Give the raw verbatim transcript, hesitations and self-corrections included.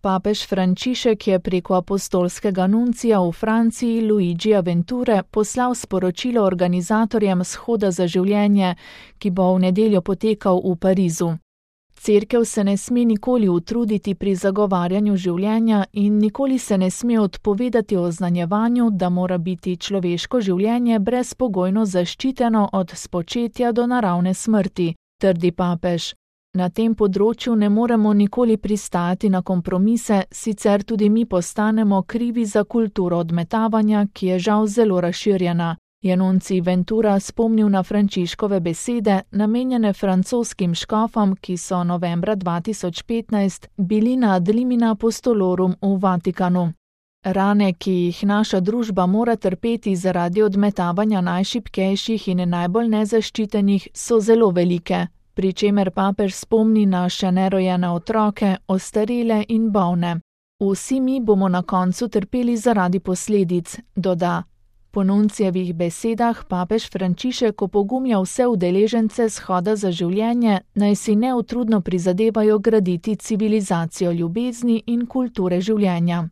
Papež Frančišek je preko apostolskega nuncija v Franciji Luigija Venture poslal sporočilo organizatorjem Shoda za življenje, ki bo v nedeljo potekal v Parizu. Cerkev se ne sme nikoli utruditi pri zagovarjanju življenja in nikoli se ne sme odpovedati oznanjevanju, da mora biti človeško življenje brezpogojno zaščiteno od spočetja do naravne smrti, trdi papež. Na tem področju ne moremo nikoli pristajati na kompromise, sicer tudi mi postanemo krivi za kulturo odmetavanja, ki je žal zelo razširjena, je nuncij Ventura spomnil na Frančiškove besede, namenjene francoskim škofom, ki so novembra dva tisoč petnajst bili na Ad limina apostolorum v Vatikanu. Rane, ki jih naša družba mora trpeti zaradi odmetavanja najšibkejših in najbolj nezaščitenih, so zelo velike, pri čemer papež spomni na še nerojene otroke, ostarele in bolne. Vsi mi bomo na koncu trpeli zaradi posledic, doda. Po nuncijevih besedah papež Frančišek opogumja vse udeležence Shoda za življenje, naj si neutrudno prizadevajo graditi civilizacijo ljubezni in kulture življenja.